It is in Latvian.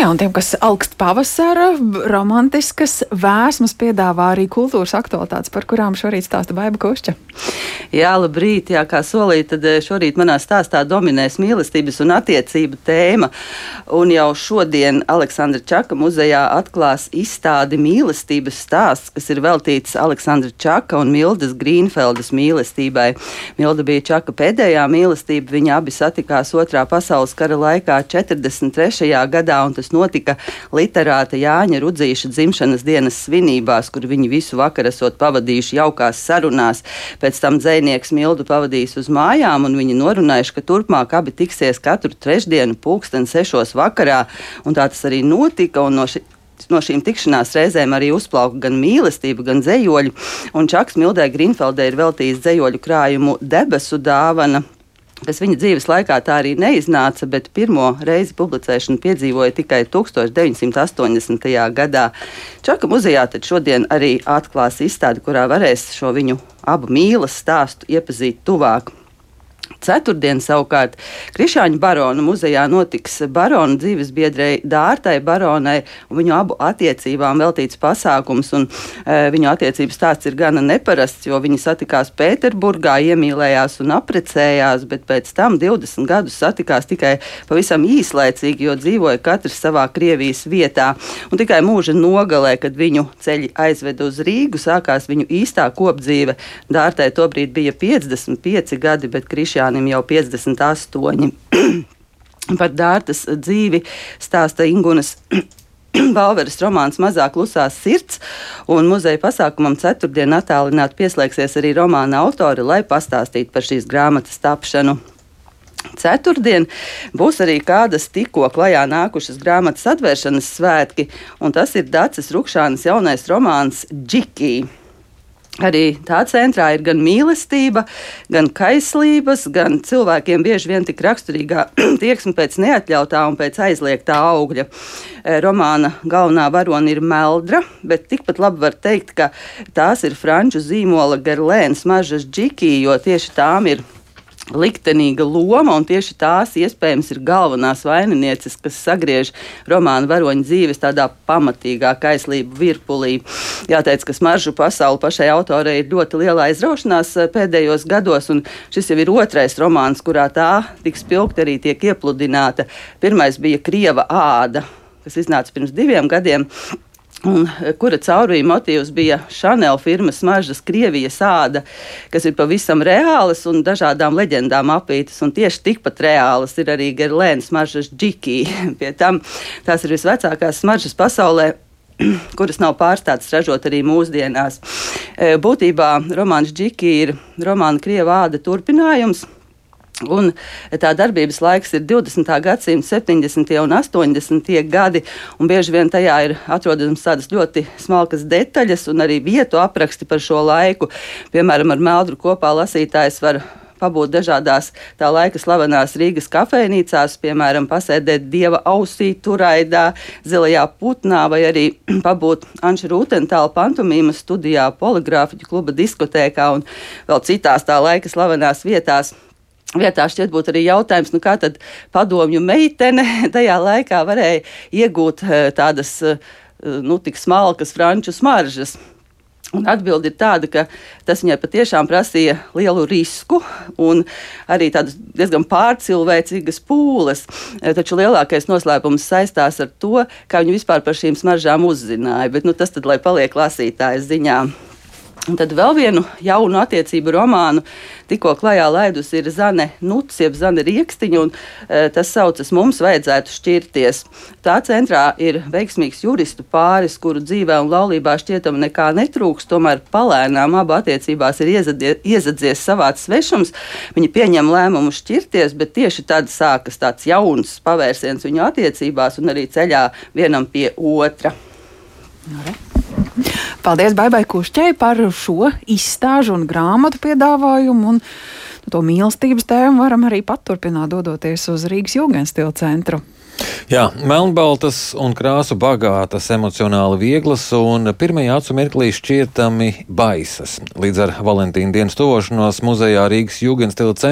Jā, un tiem, kas augst pavasara, romantiskas vēsmas piedāvā arī kultūras aktualitātes, par kurām šorīt stāsta Baiba Kušķa. Jā, labrīt, jā, kā solīt, tad šorīt manā stāstā dominēs mīlestības un attiecību tēma. Un jau šodien Aleksandra Čaka muzejā atklās izstādi Mīlestības stāsts, kas ir veltīts Aleksandra Čaka un Mildas Grīnfeldes mīlestībai. Milda bija Čaka pēdējā mīlestība, viņi abi satikās Otrā pasaules kara laikā 43. gadā, un tas notika literāta Jāņa Rudzīša dzimšanas dienas svinībās, kur viņi visu vakaru esot pavadījuši jaukās sarunās. Pēc tam dzejnieks Mildu pavadījis uz mājām, un viņi norunājuši, ka turpmāk abi tiksies katru trešdienu 6:00 vakarā, un tā tas arī notika, un no šīm tikšanās reizēm arī uzplauka gan mīlestība, gan dzejoļi, un Čaks Mildai Grīnfeldei ir veltījis dzejoļu krājumu Debesu dāvana, kas viņa dzīves laikā tā arī neiznāca, bet pirmo reizi publicēšanu piedzīvoja tikai 1980. gadā. Čaka muzejā tad šodien arī atklās izstādi, kurā varēs šo viņu abu mīlas stāstu iepazīt tuvāk. Ceturtdien savukārt Krišāņu barona muzejā notiks barona dzīvesbiedrei Dārtai baronai un viņu abu attiecībām veltīts pasākums, un viņu attiecības stāsts ir gana neparasts, jo viņi satikās Pēterburgā, iemīlējās un apprecējās, bet pēc tam 20 gadus satikās tikai pavisam īslaicīgi, jo dzīvoja katrs savā Krievijas vietā, un tikai mūža nogalē, kad viņu ceļi aizveda uz Rīgu, sākās viņu īstā kopdzīve. Dārtai tobrīd bija 55 gadi, bet Krišāņiem jau 58. Par Dārtas dzīvi stāsta Ingunas Balveres romāns Mazā klusā sirds, un muzeja pasākumam ceturtdien attālināti pieslēgsies arī romāna autori, lai pastāstītu par šīs grāmatas tapšanu. Ceturtdien būs arī kādas tikko klajā nākušas grāmatas atvēršanas svētki, un tas ir Daces Rukšānas jaunais romāns Džikī. Arī tā centrā ir gan mīlestība, gan kaislības, gan cilvēkiem bieži vien tik raksturīgā tieksme pēc neatļautā un pēc aizliegtā augļa. Romāna galvenā varone ir Meldra, bet tikpat labi var teikt, ka tās ir franču zīmola Gerlēnas mažas Džikī, jo tieši tām ir liktenīga loma, un tieši tās iespējams ir galvenās vaininieces, kas sagriež romāna varoņa dzīves tādā pamatīgā kaislību virpulī. Jāteic, ka smaržu pasauli pašai autorei ir ļoti liela aizraušanās pēdējos gados, un šis jau ir otrais romāns, kurā tā tik spilgti arī tiek iepludināta. Pirmais bija Krieva āda, kas iznāca pirms 2 gadiem, un kura caurvīja motīvs bija Chanel firmas smaržas Krievijas āda, kas ir pavisam reālas un dažādām leģendām apītas, un tieši tikpat reālas ir arī Gerlēnas smaržas Džikī. Pie tam tās ir visvecākās smaržas pasaulē, kuras nav pārstātas ražot arī mūsdienās. Būtībā romāns Džikī ir romāna Krieva āda turpinājums, un tā darbības laiks ir 20. gadsimta 70. un 80. gadi, un bieži vien tajā ir atrodams tādas ļoti smalkas detaļas un arī vietu apraksti par šo laiku. Piemēram, ar Meldru kopā lasītājs var pabūt dažādās tā laika slavenās Rīgas kafejnīcās, piemēram, pasēdēt Dieva ausī Turaidā, Zilajā putnā, vai arī pabūt Anša Rūtentāla pantomīmas studijā, Poligrāfiķu kluba diskotēkā un vēl citās tā laika slavenās vietās. Vietā šķiet būt arī jautājums, kā tad padomju meitene tajā laikā varēja iegūt tādas, tik smalkas franču smaržas. Un atbilde ir tāda, ka tas viņai patiešām prasīja lielu risku un arī tādas diezgan pārcilvēcīgas pūles. Taču lielākais noslēpums saistās ar to, kā viņi vispār par šīm smaržām uzzināja, bet tas tad, lai paliek lasītājas ziņā. Un tad vēl vienu jaunu attiecību romānu tikko klajā laidus ir Zane Nuts, jeb Zane Riekstiņa, un tas saucas Mums vajadzētu šķirties. Tā centrā ir veiksmīgs juristu pāris, kuru dzīvē un laulībā šķietam nekā netrūks, tomēr palēnām abu attiecībās ir iezadzies savāds svešums. Viņi pieņem lēmumu šķirties, bet tieši tad sākas tāds jauns pavērsiens viņu attiecībās un arī ceļā vienam pie otra. Paldies Baibai Kušķei par šo izstāžu un grāmatu piedāvājumu, un to mīlestības tēmu varam arī paturpināt, dodoties uz Rīgas Jugendstila centru. Jā, melnbaltas un krāsu bagātas, emocionāli vieglas un pirmajā acu mirklī šķietami baisas. Līdz ar Valentīna dienas tuvošanos muzejā Rīgas Jugendstila centrā